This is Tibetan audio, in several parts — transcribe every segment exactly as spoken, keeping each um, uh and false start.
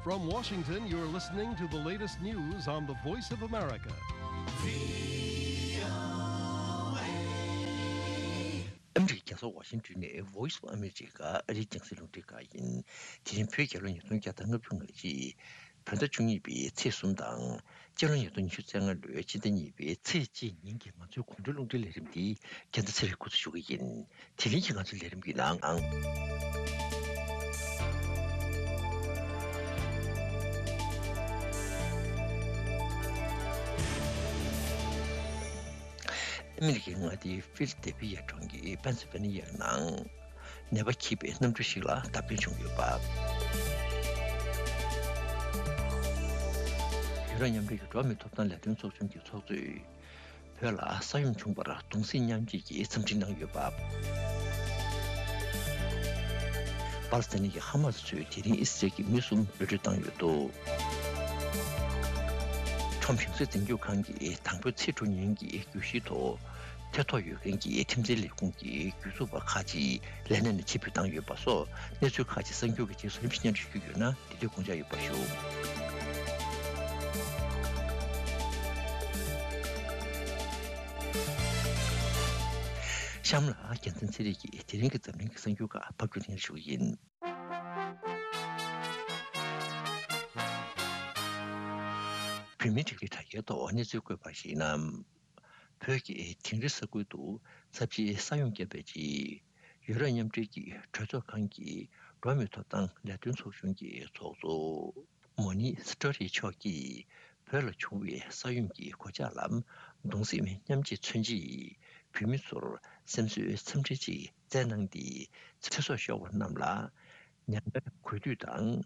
From Washington, you're listening to the latest news on the Voice of America. ཨ་མི་རི་ཀའི་རྒྱལ་ས་ཝ་ཤིང་ཏོན་ནས་Voice of America ཨ་རིའི་རྒྱང་སྲིང་རླུང་འཕྲིན་ཁང་ཡིན། དེ་རིང་བོད་རྒྱལ་ལོ་ཉིས་སྟོང་བརྒྱ་དང་ལྔ་བཅུ་ང་གཅིག་བོད་ཟླ་བཅུ་གཉིས་པའི་ཚེས་གསུམ་དང་། སྤྱི་ལོ་ཉིས་སྟོང་ཉི་ཤུ་རྩ་ལྔ་ལོའི་སྤྱི་ཟླ་གཉིས་པའི་ཚེས་གཅིག་ཉིན་གྱི་ང་ཚོའི་དགོང་དྲོའི་རླུང་འཕྲིན་ལས་རིམ་འདི་རྒྱལ་མཚན་ཚེ་རིང་འགོ་འཛུགས་ཞུ་གི་ཡིན། དེ་རིང་གི་ང་ཚོའི་ལས་རིམ་གྱི་ནང་། ཨ་མི་རི་ཀའི་མངའ་སྡེ་ཕི་ལ་དེལ་ཕི་ཡ་གྲོང་ཁྱེར་པེན་སིལ་ཝེ་ནི་ཡའི་ནང་ནད་པ་འཁྱིལ་པའི་གནམ་གྲུ་ཞིག་ལ་བརྡབ་སྐྱོན་བྱུང་ཡོད་པ། ཡུ་རོབ་མཉམ་འབྲེལ་གྱི་འགྲོ་བ་མིའི་ཐོབ་ཐང་ལས་དོན་ཚོགས་ཆུང་གི་ཚོགས་གཙོས། བོད་ལ་ས་ཡོམ་བྱུང་བར་གདུང་སེམས་མཉམ་སྐྱེད་ཀྱི་འཚམས་འདྲི་གནང་ཡོད་པ། པ་ལི་སི་ཐན་གྱི་ཧ་མ་སི་ཚོས་དེ་རིང་ཨི་སི་རལ་གྱི་མི་གསུམ་གློད་གྲོལ་བཏང་ཡོད་འདུག་ཁྲོམ་གཞུང་སའི་འཛིན་སྐྱོང་ཁང་གིས་དང་པོའི་ཚེས་དྲུག་ཉིན་གྱི་གྱོད་གཞིའི་ཐོག་ཐེ་གཏོགས་ཡོད་མཁན་གྱི་ཁྲིམས་འཛིན་ལས་ཁུངས་ཀྱི་གྱོད་འཛུགས་པ་ཁག་ཅིག་ལས་གནས་ནས་ཕྱིར་འབུད་བཏང་ཡོད་པ་སོགས་གནས་ཚུལ་ཁག་ཅིག་གསར་འགྱུར་གྱི་རྗེས་སུ་རིམ་བཞིན་སྙན་སྒྲོན་ཞུ་རྒྱུ་ཡོད་ན། དེ་དུས་དགོངས་འཇགས་ཡོད་པར་ཞུ། གཤམ་ལ་རྒྱལ་མཚན་ཚེ་རིང་གིས་དེ་རིང་གི་འཛམ་གླིང་གི་གསར་འགྱུར་ཁག་ཕབ་སྒྱུར་སྙན་ཞུ་གི་ཡིན། བོད་མིའི་སྒྲིག་འཛུགས་དྲ་རྒྱའི་ཐོག་གནས་ཚུལ་བཀོད་པར་གཞིགས་ན། བོད་ཀྱི་དིང་རི་ས་ཁུལ་དུ་ཚབས་ཆེའི་ས་ཡོམ་བརྒྱབ་པའི་རྗེས། ཡུ་རོབ་མཉམ་འབྲེལ་གྱི་གྲོས་ཚོགས་ཁང་གི་འགྲོ་བ་མིའི་ཐོབ་ཐང་ལས་དོན་ཚོགས་ཆུང་གི་ཚོགས་གཙོ་མོ་ནི་སི་ཏྲོ་རི་མཆོག་གིས་བོད་ལ་བྱུང་བའི་ས་ཡོམ་གྱི་གོད་ཆག་ལ་གདུང་སེམས་མཉམ་སྐྱེད་མཚོན་ཆེད། བོད་མི་ཚོར་སེམས་གསོའི་འཚམས་འདྲི་ཅིག་བསྩལ་གནང་སྟེ། ཚེ་སྲོག་ཤོར་བ་རྣམས་ལ་མྱ་ངན་གུས་འདུད་དང་།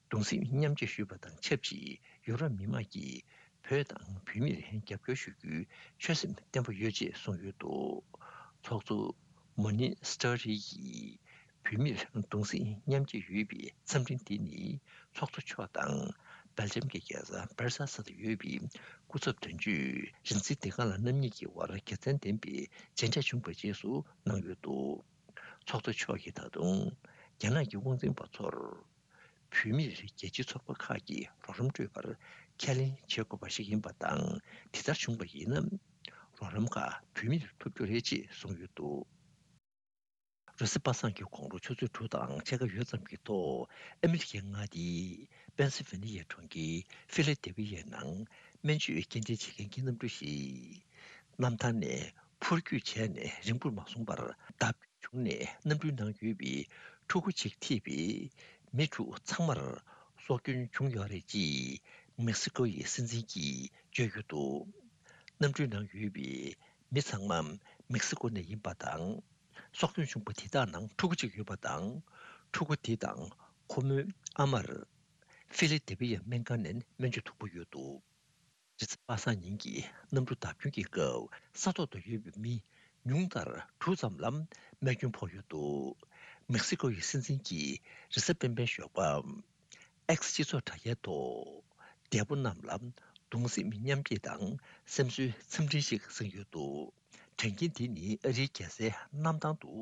གདུང་སེམས་མཉམ་སྐྱེད་ཞུས་པ་དང་ཆབས་ཅིག་ཡུ་རོབ་མི་དམངས་ཀྱིས་བོད་དང་བོད་མིར་རྒྱབ་སྐྱོར་ཞུ་རྒྱུའི་ཆོད་སེམས་བརྟན་པོ་ཡོད་ཅེས་གསུངས་ཡོད་འདུག་ཚོགས་གཙོ་མོ་ནི་སི་ཏྲ་རི་ཡིས་བོད་མིར་གདུང་སེམས་མཉམ་སྐྱེད་ཡོད་པའི་འཚམས་འཕྲིན་འདི་ནི། ཚོགས་གཙོ་མཆོག་དང་སྦེལ་ཇམ་གྱི་རྒྱལ་ས་སྦར་སེལ་སི་ལ་ཡོད་པའི་སྐུ་ཚབ་དོན་གཅོད་རིན་ཚེ་བདེ་དཀར་ལགས་རྣམ་གཉིས་ཀྱི་དབར་དགེ་མཚན་ལྡན་པའི་མཇལ་འཕྲད་བྱུང་བའི་རྗེས་སུ་གནང་ཡོད་འདུག་ཚོགས་གཙོ་མཆོག་གིས་ད་དུང་རྒྱ་ནག་གི་དབང་འཛིན་པ་ཚོར། བོད་མིར་རྒྱལ་སྤྱིའི་ཚོགས་པ་ཁག་གིས་རོགས་རམ་སྤྲོད་པར་ཁས་ལེན་བྱེད་དགོས་པ་ཞིག་ཡིན་པ་དང་། དེ་ལྟར་བྱུང་བ་ཡིན་ན། རོགས་རམ་ཁག་བོད་མིར་ཐོབ་རྒྱུ་རེད་ཅེས་གསུངས་ཡོད་འདུག་རེས་གཟའ་པ་སངས་ཀྱི་དགོང་དྲོ་ཆུ་ཚོད་དྲུག་དང་ཕྱེད་ཀ་ཡོལ་ཙམ་གྱི་ཐོག་ཨ་མི་རི་ཀའི་མངའ་སྡེའི་པེན་སིལ་ཝེ་ནི་ཡའི་གྲོང་ཁྱེར་ཕི་ལ་དེལ་ཕི་ཡའི་ནང་སྨན་བཅོས་སྐྱེལ་འདྲེན་བྱེད་མཁན་གྱི་གནམ་གྲུ་ཞིག་གནམ་ཐང་ནས་འཕུར་སྐྱོད་བྱས་ནས་རིང་པོར་མ་སོང་བར་བརྡབ། བྱུང་ནས་གནམ་གྲུའི་ནང་ཡོད་པའི་ཕྲུ་གུ་གཅིག་ཐེ་བའི་མི་དྲུག་ཚང་མར་སྲོག་སྐྱོན་བྱུང་ཡོད་རེད་ཅེས་མེག་སི་ཀོ་ཡི་སྲིད་འཛིན་གྱིས་བརྗོད་ཡོད་འདུག་གནམ་གྲུའི་ནང་ཡོད་པའི་མི་ཚང་མ་མེག་སི་ཀོ་ནས་ཡིན་པ་དང་། སྲོག་སྐྱོན་བྱུང་བ་དེ་དག་ནང་ཕྲུ་གུ་གཅིག་ཡོད་པ་དང་། ཕྲུ་གུ་དེ་དང་ཁོ་མོའི་ཨ་མར་ཕི་ལ་དེལ་ཕི་ཡའི་སྨན་ཁང་ནས་སྨན་བཅོས་ཐུབ་ཀྱི་ཡོད་འདུག་རེས་གཟའ་པ་སངས་ཉིན་གྱི་གནམ་གྲུ་བརྡབ་སྐྱོན་གྱི་སྐབས་ས་ཐོག་ཏུ་ཡོད་པའི་མི་ཉུང་མཐར་དྲུག་ཙམ་ལ་རྨས་སྐྱོན་ཕོག་ཡོད་འདུག་མེག་སི་ཀོ་ཡི་སྲིད་འཛིན་གྱིས་རེས་གཟའ་སྤེན་པའི་ཞོགས་པ་ཨེགས་སྤྱི་ཚོགས་དྲ་རྒྱའི་ཐོག་འདས་པོ་རྣམས་ལ་གདུང་སེམས་མཉམ་སྐྱེད་དང་སེམས་གསོའི་འཚམས་འདྲི་ཞིག་གསན་ཡོད་འདུག་དྲན་རྐྱེན་འདི་ནི་ཨ་རིའི་རྒྱལ་སའི་གནམ་ཐང་དུ།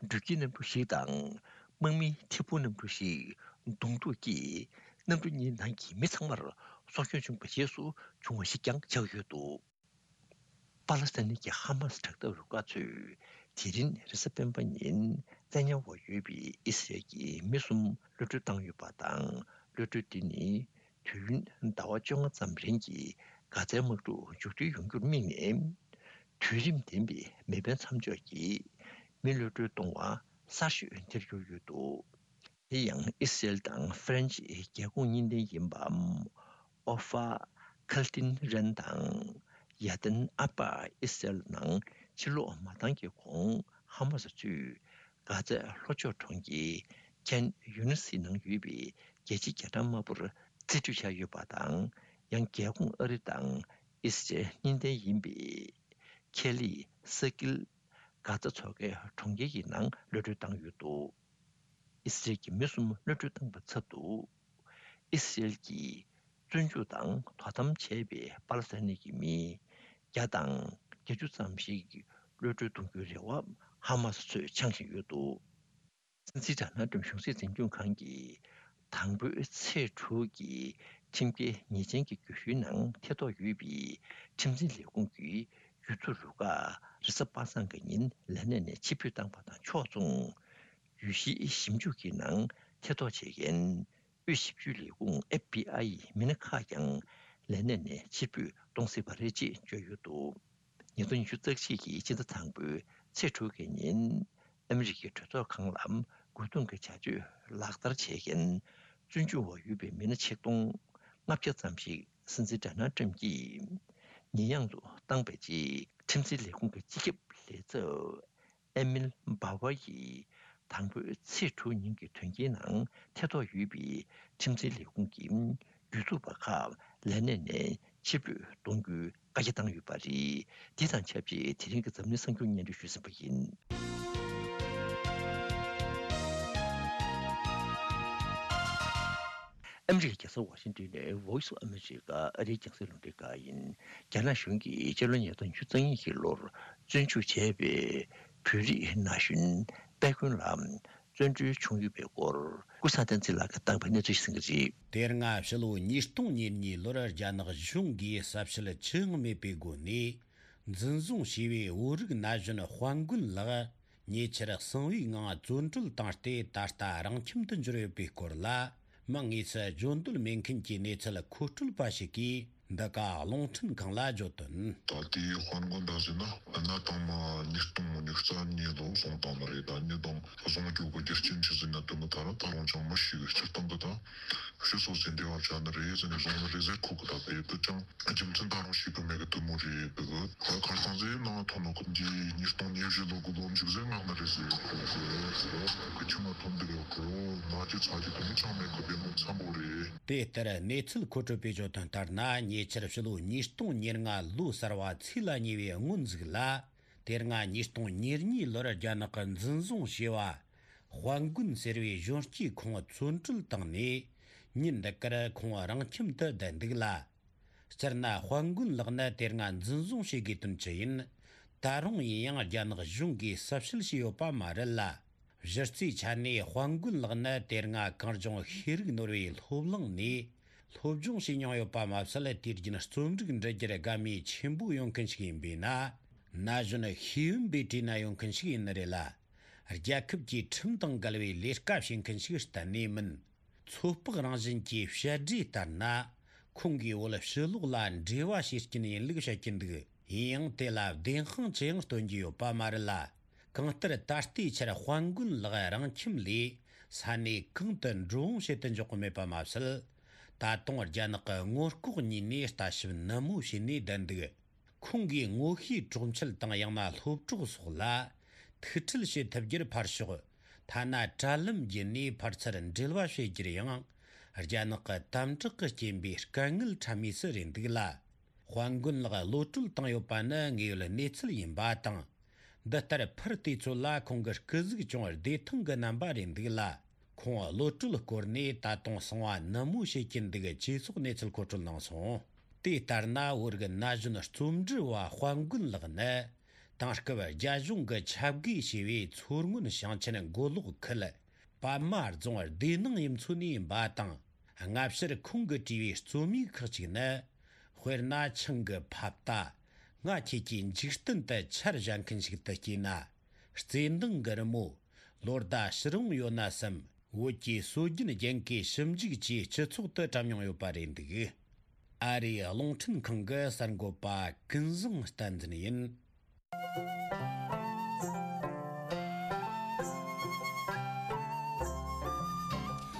འགྲུལ་སྐྱེལ་གནམ་གྲུ་ཞིག་དང་། དམག་མིའི་ཐད་འཕུར་གནམ་གྲུ་ཞིག་གདོང་ཐུག་གིས་གནམ་གྲུ་གཉིས་ནང་གི་མི་ཚང་མར་སྲོག་སྐྱོན་བྱུང་བའི་རྗེས་སུ་བྱུང་བ་ཞིག་ཀྱང་ཆགས་ཡོད་འདུག་པ་ལི་སི་ཐན་གྱི་ཧ་མ་སི་དྲག་འཐབ་རུ་ཁག་ཚོས་དེ་རིང་རེས་གཟའ་སྤེན་པ་ཉིན་བཙན་ཉར་འོག་ཡོད་པའི་ཨི་སི་རལ་གྱི་མི་གསུམ་གློད་གྲོལ་བཏང་ཡོད་པ་དང་། གློད་གྲོལ་འདི་ནི། དུས་ཡུན་ཟླ་བ་བཅོ་ལྔ་ཙམ་རིང་གི་གྷ་ཛའི་དམག་འཁྲུག་མཇུག་སྒྲིལ་ཡོང་རྒྱུར་དམིགས་ནས། དུས་རིམ་ལྡན་པའི་མེ་འཕེན་མཚམས་འཇོག་གིས་མི་གློད་གྲོལ་གཏོང་བ་གསར་ཤོས་དེར་གྱུར་ཡོད་འདུག་དེ་ཡང་ཨི་སི་རེལ་དང་ཧྥ་རན་ཆི་རྒྱལ་ཁོངས་གཉིས་ལྡན་ཡིན་པའམ། ཨོ་ཧྥ་ཁལ་ཏིན་རན་དང་ཡར་དན་ཨ་པར་ཨི་སི་རེལ་ནང་ཕྱིར་ལོག་མ་བཏང་གི་གོང་ཧ་མ་སི་ཚོས། གྷ་ཛའི་ལྷོ་ཕྱོགས་གྲོང་ཁྱེར་ཁན་ཡུ་ནི་སི་ནང་ཡོད་པའི་རྒྱལ་སྤྱིའི་རྒྱ་གྲམ་དམར་པོར་རྩིས་སྤྲོད་བྱས་ཡོད་པ་དང་། ཡང་རྒྱལ་ཁོངས་ཨ་རི་དང་ཨི་སི་རེལ་གཉིས་ལྡན་ཡིན་པའི་ཁེ་ལི་ས་ཀིལ་གྷ་ཛ་མཚོ་ཁའི་གྲོང་ཁྱེར་གྱི་ནང་གློད་གྲོལ་བཏང་ཡོད་འདུག་ཨི་སི་རེལ་གྱི་མི་གསུམ་གློད་གྲོལ་བཏང་པའི་ཚབ་ཏུ། ཨི་སི་རེལ་གྱིས་བཙོན་འཇུག་དང་དོ་དམ་བྱས་པའི་པ་ལི་སི་ཐན་གྱི་མི་བརྒྱ་དང་བརྒྱད་ཅུ་ཙམ་ཞིག་གློད་གྲོལ་གཏོང་རྒྱུའི་རེ་བ་ཧ་མ་སི་ཚོས་འཆང་བཞིན་ཡོད་འདུག་སྲིད་འཛིན་ཌོ་ནལ་ཏྲམ་གཞུང་སྲིད་འཛིན་སྐྱོང་ཁང་གིས་ དང་པོའི་ཚེས་དྲུག་གི་ཁྲིམས་འགལ་ཉེས་ཅན་གྱི་གྱོད་གཞིའི་ནང་ཐེ་གཏོགས་ཡོད་པའི་ཁྲིམས་འཛིན་ལས་ཁུངས་ཀྱི་གྱོད་ཚུལ་རུ་ཁག་རེས་གཟའ་པ་སངས་ཀྱི་ཉིན་ལས་གནས་ནས་ཕྱིར་འབུད་བཏང་པ་དང་ཕྱོགས་མཚུངས། འོས་གཞིའི་ཞིབ་འཇུག་གི་ནང་ཐེ་གཏོགས་བྱེད་མཁན་དབུས་ཞིབ་དཔྱོད་ལས་ཁུངས་ཨེཕ་བི་ཨའི་ཡི་མི་སྣ་ཁག་ཀྱང་ལས་གནས་ནས་ཕྱིར་འབུད་གཏོང་སྲིད་པ་རེད་ཅེས་བརྗོད་ཡོད་འདུག་ཉིས་སྟོང་ཉི་ཤུ་རྩ་གཅིག་གི་སྤྱི་ཟླ་དང་པོའི་ཚེས་དྲུག་གི་ཉིན། ཨ་མི་རི་ཀའི་གྲོས་ཚོགས་ཁང་ལ་རྒོལ་རྡུང་གི་བྱ་སྤྱོད་ལག་བསྟར་བྱེད་མཁན་བཙོན་འཇུག་འོག་ཡོད་པའི་མི་སྣ་ཆིག་སྟོང་ལྔ་བརྒྱ་ཙམ་ཞིག་སྲིད་འཛིན་ཌོ་ནལ་ཊམ་གྱིས་ཉེས་ཡངས་སུ་བཏང་པའི་རྗེས། ཁྲིམས་འཛིན་ལས་ཁུངས་ཀྱི་སྤྱི་ཁྱབ་ལས་ཚབ་ཨེ་མིལ་སྦའོ་ཝར་ཡིས་དང་པོའི་ཚེས་དྲུག་ཉིན་གྱི་དོན་རྐྱེན་ནང་ཐེ་གཏོགས་ཡོད་པའི་ཁྲིམས་འཛིན་ལས་ཁུངས་ཀྱི་གྱོད་ཚུགས་པ་ཁག་ལས་གནས་ནས་ཕྱིར་འབུད་གཏོང་རྒྱུའི་བཀའ་རྒྱ་བཏང་ཡོད་པ་རེད། དེ་དང་ཆབས་ཅིག་དེ་རིང་གི་འཛམ་གླིང་གསར་འགྱུར་སྙན་སྒྲོན་ཞུས་ཟིན་པ་ཡིན། ཨ་མི་རི་ཀའི་རྒྱལ་ས་ཝ་ཤིང་ཏོན་ནས་Voice of America ཨ་རིའི་རྒྱང་སྲིང་རླུང་འཕྲིན་ཁང་ཡིན། རྒྱ་ནག་གཞུང་གིས་སྤྱི་ལོ་ཉིས་སྟོང་ཉི་ཤུ་རྩ་གཉིས་ཀྱི་ལོར་བཙོན་འཇུག་བྱས་པའི་བོད་རིགས་ན་གཞོན་དཔལ་མགོན་ལགས་བཙོན་གྲོལ་བྱུང་ཡོད་པའི་སྐོར་ཀུན་བཟང་བསྟན་འཛིན་ལགས་ཀྱིས་བཏང་པའི་གནས་ཚུལ་ཞིག་གསན་གྱི་རེད། དེ་སྔ་ཕྱི་ལོ་ཉིས་སྟོང་ཉེར་གཉིས་ལོར་རྒྱ་ནག་གཞུང་གིས་གསལ་བཤད་ཅི་ཡང་མེད་པའི་སྒོ་ནས་འཛིན་བཟུང་བྱས་པའི་བོད་རིགས་ན་གཞོན་དཔལ་མགོན་ལགས་ཉེ་ཆར་གསང་བའི་ངང་བཙོན་གྲོལ་བཏང་སྟེ་ད་ལྟ་རང་ཁྱིམ་དུ་འབྱོར་ཡོད་པའི་སྐོར་ལ། མིང་དངོས་སུ་བརྗོད་འདོད་མེད་མཁན་གྱི་གནས་ཚུལ་མཁོ་སྤྲོད་པ་ཞིག་གིས་འདི་ག་རླུང་འཕྲིན་ཁང་ལ་བརྗོད་དོན། ད་ལྟའི་དཔལ་མགོན་ད་ཟེར་ན་གནའ་དང་མ་ཉིས་སྟོང་ཉི་ཤུ་རྩ་གཉིས་ལོ་སོང་བཏང་ནི་རེད། ད་ཉིས་སྟོང་བཟུང་རྒྱུ་གི་རྒྱུ་རྐྱེན་ཆི་ཟིག་ན་དོན་གི་ད་ར་ད་རུང་ཅང་མི་ཤེས་གི། སྤྱིར་བཏང་གི་ད་ཕྱི་སོ་སོའི་འདས་པ་ཆ་ནི་རེད་ཟེར་ནས་བཟུང་ནི་རེད་ཟེར། ཁོ་གི་ད་དེ་དུ་ཅང་རྒྱུ་མཚན་ད་རུང་ཤེས་གི་མེད་གི། དུ་མོ་རེད་གི། ད་ཁར་སང་ཟེར་ན་ཐོན་ནོ་གི་འདི་ཉིས་སྟོང་ཉེར་བཞི་ལོ་གི་ལོ་མཇུག་ཟེར་ངག་ནི་རེད་ཟེར་གི། ཁྱིམ་མ་ཐོན་འདི་རེད་གི། ང་ཅི་ཚ་གི་དུ་མོ་ཅང་མེད་གི། དེ་མོ་འཚམ་པོ་རེད། དེ་ལྟར་གནས་ཚུལ་མཁོ་སྤྲོད་པས་བརྗོད་དོན་ལྟར་ན། ཉེ་ཆར་ཕྱི་ལོ་ཉིས་སྟོང་ཉེར་ལྔ་ལོ་གསར་བ་ཚེས་ལ་ཉེ་བའི་སྔོན་ཟིག་ལ། དེ་སྔ་ཉིས་སྟོང་ཉེར་གཉིས་ལོར་རྒྱ་ནག་གིས་འཛིན་བཟུང་བྱས་པ། དཔལ་མགོན་ཟེར་བའི་གཞོན་སྐྱེས་ཁོང་བཙོན་གྲོལ་བཏང་ནས། ཉིན་འདི་གར་ཁོང་རང་ཁྱིམ་དུ་བསྡད་འདུག་ལ། སྤྱིར་ན་དཔལ་མགོན་ལགས་ནི་དེ་སྔ་འཛིན་བཟུང་བྱེད་དགོས་དོན་ཅི་ཡིན། ད་རུང་ཡིན་ཡང་རྒྱ་ནག་གཞུང་གིས་གསལ་བཤད་བྱས་ཡོད་པ་མ་རེད་ལ། གཞི་རྩའི་ཆ་ནས་དཔལ་མགོན་ལགས་ནི་དེ་སྔ་གངས་ལྗོངས་ཤེས་རིག་ནོར་བུའི་སློབ་གླིང་ནས་སློབ་སྦྱོང་བྱས་མྱོང་ཡོད་པ་མ་ཟད། དུས་རྒྱུན་རྩོམ་རིག་འབྲི་རྒྱུར་དགའ་མོས་ཆེན་པོ་ཡོད་མཁན་ཞིག་ཡིན་པས་ན། ན་གཞོན་ཤེས་ཡོན་པའི་གྲས་ན་ཡོད་མཁན་ཞིག་ཡིན་ནི་རེད་ལ། རྒྱལ་ཁབ་ཀྱི་ཁྲིམས་དང་འགལ་བའི་ལས་ཀ་བྱེད་མཁན་ཞིག་གཏན་ནས་མིན། ཚོད་དཔག་རང་བཞིན་གྱི་བཤད་སྒྲོས་ལྟར་ན། ཁོང་གིས་བོད་ཕྱི་ལོགས་ལ་འབྲེལ་བ་བྱེད་རྐྱེན་ཡིན་ལུགས་བཤད་ཀྱིན་འདུག། ཡིན་ཡང་དེ་ལ་བདེན་དཔང་ཅི་ཡང་སྟོན་རྒྱུ་ཡོད་པ་མ་རེད་ལ། གང་ལྟར་ད་ལྟའི་ཆར་དཔལ་མགོན་ལགས་རང་ཁྱིམ་ལས་ས་གནས་གང་དུ་འགྲོ་འོང་བྱེད་དུ་འཇུག་གི་མེད་པ་མ་ཟད། ད་དུང་རྒྱ་ནག་གི་ངོ་ལྐོག་གཉིས་ནས་ལྟ་ཞིབ་ནན་མོ་བྱས་ནས་བསྡད་འདུག། ཁོང་གིས་ངོ་ཤེས་གྲོགས་མཆེད་དང་ཡང་ན་སློབ་གྲོགས་སོགས་ལ་ཐུག་འཕྲད་བྱེད་ཐུབ་རྒྱུར་ཕར་ཞོག། ཐ་ན་དྲ་ལམ་བརྒྱུད་ནས་ཕར་ཚུར་འབྲེལ་བ་བྱེད་རྒྱུར་ཡང་རྒྱ་ནག་གི་དམ་དྲག་གི་རྐྱེན་པས་དཀའ་ངལ་འཕྲད་མུས་སུ་རེད་འདུག་ལ། དཔལ་མགོན་ལགས་གློད་གྲོལ་བཏང་ཡོད་པ་ནི་དངོས་ཡོད་གནས་ཚུལ་ཡིན་པ་དང་། འདི་ལྟར་ཕུར་བལྟས་ཚོད་ལ་ཁོང་གི་སྐུ་གཟུགས་ཅུང་བདེ་ཐང་གི་རྣམ་པ་རེད་འདུག་ལ། ཁོང་གློད་གྲོལ་སྐོར་ནས་ད་དུང་གསང་བ་ནན་མོ་བྱེད་ཀྱིན་འདུག་ཅེས་སོགས་གནས་ཚུལ་མཁོ་སྤྲོད་གནང་སོང་། དེ་ལྟར་ན་བོད་ཀྱི་ན་གཞོན་རྩོམ་འབྲི་བ་དཔལ་མགོན་ལགས་ནི་དེང་སྐབས་རྒྱ་གཞུང་གི་ཆབ་དགོས་ཞེས་པའི་མཚོ་སྔོན་ཞིང་ཆེན་མགོ་ལོག་ཁུལ་པདྨ་རྫོང་སྡེ་ནང་ཡུལ་ཚོ་ནས་ཡིན་པ་དང་། སྔ་ཕྱིར་ཁོང་གིས་བྲིས་པའི་རྩོམ་ཡིག་ཁག་ཅིག་ནི། དཔེར་ན་ཆང་གི་ཕབ་རྟ། ང་ཁྱེད་ཀྱི་འཇིག་རྟེན་དུ་ཆར་བཞག་མཁན་ཞིག་ཏུ་སྐྱེས་ན། བརྩེ་འདང་གི་རི་མོ། ལོ་ཟླ་ཕྱིར་འོང་ཡོད་ན་བསམ། བོད་ཀྱི་སྲོལ་རྒྱུན་རྒྱན་གོས་ཞིབ་འཇུག་བཅས་སྤྱི་ཚོགས་དུ་བཀྲམ་མྱོང་ཡོད་པ་རེད་འདུག། ཨ་རིའི་རླུང་འཕྲིན་ཁང་གི་གསར་འགོད་པ་ཀུན་བཟང་བསྟན་འཛིན་ཡིན།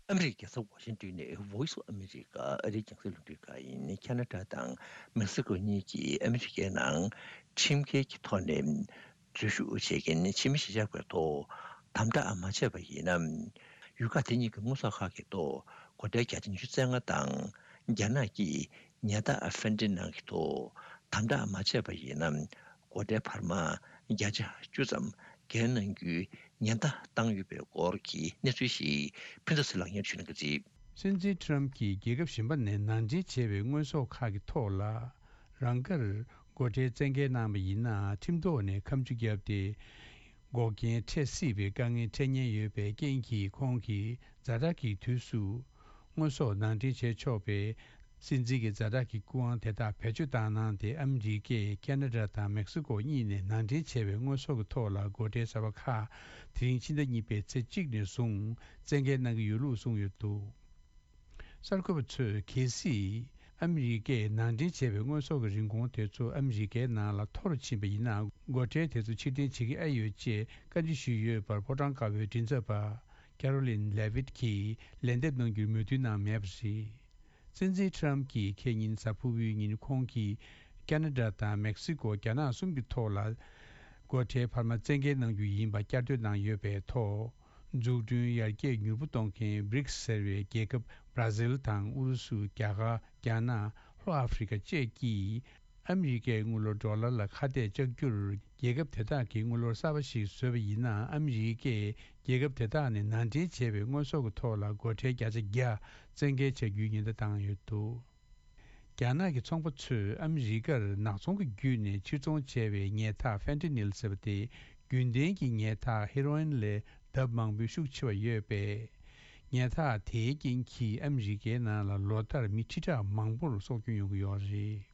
ཨ་མི་རི་ཀའི་རྒྱལ་ས་ཝ་ཤིང་ཏོན་ནས་Voice of America ཨ་རིའི་རྒྱང་སྲིང་རླུང་འཕྲིན་ཁང་ཡིན། ཁ་ན་ཌ་དང་མེག་སི་ཀོ་གཉིས་ཀྱིས་ཨ་མི་རི་ཀའི་ནང་ཁྲིམས་འགལ་གྱི་ཐོག་ནས་འཛུལ་ཞུགས་བྱེད་མཁན་ཕྱི་མི་གཞིས་ཆགས་པའི་ཐོག་དམ་དྲག་མ་བྱས་པ་ཡིན་ན། ཡུལ་ཁག་དེ་གཉིས་ཀྱི་དངོས་ཟོག་ཁག་གི་ཐོག་སྒོ་ཁྲལ་བརྒྱ་ཆ་ཉི་ཤུ་རྩ་ལྔ་དང་། རྒྱ་ནག་གིས་ཉ་ཟླ་ཧྥན་ཏིན་ནང་གི་ཐོག་དམ་དྲག་མ་བྱས་པ་ཡིན་ན། སྒོ་ཁྲལ་འཕར་མ་བརྒྱ་ཆ་བཅུ་ཙམ་འགན་གནང་རྒྱུའི་ཉེན་བརྡ་བཏང་ཡོད་པའི་སྐོར་གྱི་གནས་ཚུལ་ཞིག་ཕུན་ཚོགས་ཚེ་ལགས་སྙན་ཞུ་གནང་གི་རེད། སྲིད་འཛིན་ཊམ་གྱིས་རྒྱལ་ཁབ་གཞན་པ་ནས་ནང་འདྲེན་བྱས་པའི་དངོས་ཟོག་ཁག་གི་ཐོག་ལ། རང་དགར་སྒོ་ཁྲལ་བཙན་འགེལ་གནང་བ་ཡིན་ན། ཁྲིམས་ཐོག་ནས་ཁ་མཆུ་བརྒྱབ་སྟེ། འགོག་རྐྱེན་འཕྲད་སྲིད་པའི་དཀའ་ངལ་འཕྲད་ཉེན་ཡོད་པའི་རྐྱེན་གྱིས། ཁོང་གིས་ཛ་དྲག་གི་དུས་སུ། དངོས་ཟོག་ནང་འདྲེན་བྱས་ཆོག་པའི་སྲིད་འཛིན་གྱི་ཛ་དྲག་གི་སྐུ་དབང་དེ་དག་བེད་སྤྱོད་བཏང་གནང་སྟེ། ཨ་མི་རི་ཀས་ཁེ་ན་ཌ་དང་མེག་སི་ཀོ་གཉིས་ནས་ནང་འདྲེན་བྱས་པའི་དངོས་ཟོག་གི་ཐོག་ལ་སྒོ་ཁྲལ་གསར་པ་ཁག་དེ་རིང་ཕྱི་ཟླ་གཉིས་པའི་ཚེས་གཅིག་ནས་བཟུང་བཙན་འགེལ་གནང་གི་ཡོད་ལུགས་གསུངས་ཡོད་འདུག། གསར་འགོད་པ་ཚོས་གལ་སྲིད་ཨ་མི་རི་ཀས་ནང་འདྲེན་བྱས་པའི་དངོས་ཟོག་གི་རིན་གོང་དེ་ཚོ་ཨ་མི་རི་ཀའི་ནང་ལ་མཐོ་རུཕྱིན་པ་ཡིན་ན། སྒོ་ཁྲལ་དེ་ཚོ་ཕྱིར་འཐེན་བྱེད་ཀྱི་ཨེ་ཡོད་ཅེས་བཀའ་འདྲི་ཞུས་ཡོད་པར། ཕོ་བྲང་དཀར་པོའི་མགྲིན་ཚབ་པ་ཀེ་རོ་ལིན་ལེ་ཝིད་ཀྱིས་ལན་འདེབས་གནང་རྒྱུར་མོས་མཐུན་གནང་མེད་པ་རེད། སྲིད་འཛིན་ཁྲམ་གྱིས་ཁེ་ཉིན་གཟའ་ཕུར་བུའི་ཉིན་ཁོང་གིས་ཁེ་ན་ཌ་དང་མེག་སི་ཀོ། རྒྱ་ནག་གསུམ་གྱི་ཐོག་ལ་སྒོ་ཁྲལ་འཕར་མ་བཙན་འགེལ་གནང་རྒྱུ་ཡིན་པ་བསྐྱར་ཟློས་གནང་ཡོད་པའི་ཐོག། འཛུགས་སྐྲུན་ཡར་རྒྱས་མྱུར་པོ་གཏོང་མཁན་བྷི་རིགས་ཟེར་བའི་རྒྱལ་ཁབ་བྷ་ར་ཟིལ་དང་ཨུ་རུ་སུ། རྒྱ་གར། རྒྱ་ནག་ལྷོ་ཨ་ཧྥེ་རི་ཁ་བཅས་ཀྱིས་ཨ་མི་རི་ཀའི་དངུལ་ལོར་ཌོ་ལར་ལ་ཁ་གཏད་གཅོག་རྒྱུར། རྒྱལ་ཁབ་དེ་དག་གིས་དངུལ་ལོར་གསར་པ་ཞིག་བཟོས་པ་ཡིན་ན། ཨ་མི་རི་ཀས་རྒྱལ་ཁབ་དེ་དག་ནས་ནང་འདྲེན་བྱས་པའི་དངོས་ཟོག་གི་ཐོག་ལ་སྒོ་ཁྲལ་བརྒྱ་ཆ་བརྒྱ་བཙན་འགེལ་བྱ་རྒྱུའི་ཉེན་བརྡ་བཏང་ཡོད་འདུག། རྒྱ་ནག་གི་ཚོང་པ་ཚོས་ཨ་མི་རི་ཀར་ནག་ཚོང་གི་བརྒྱུད་ནས་ཕྱིར་ཚོང་བྱས་པའི་ཉལ་ཐག་ཧྥེན་ཏི་ནིལ་ཟེར་བ་དེ། རྒྱུན་ལྡན་གྱི་ཉལ་ཐག་ཧེ་རོ་ཨིན་ལས་ལྡབ་མང་པོའི་ཤུགས་ཆེ་བ་ཡོད་པས། ཉལ་ཐག་དེའི་རྐྱེན་གྱིས་ཨ་མི་རི་ཀའི་ནང་ལ་ལོ་ལྟར་མི་ཁྲི་ཕྲག་མང་པོར་སྲོག་སྐྱོན་ཡོང་གི་ཡོད་རེད།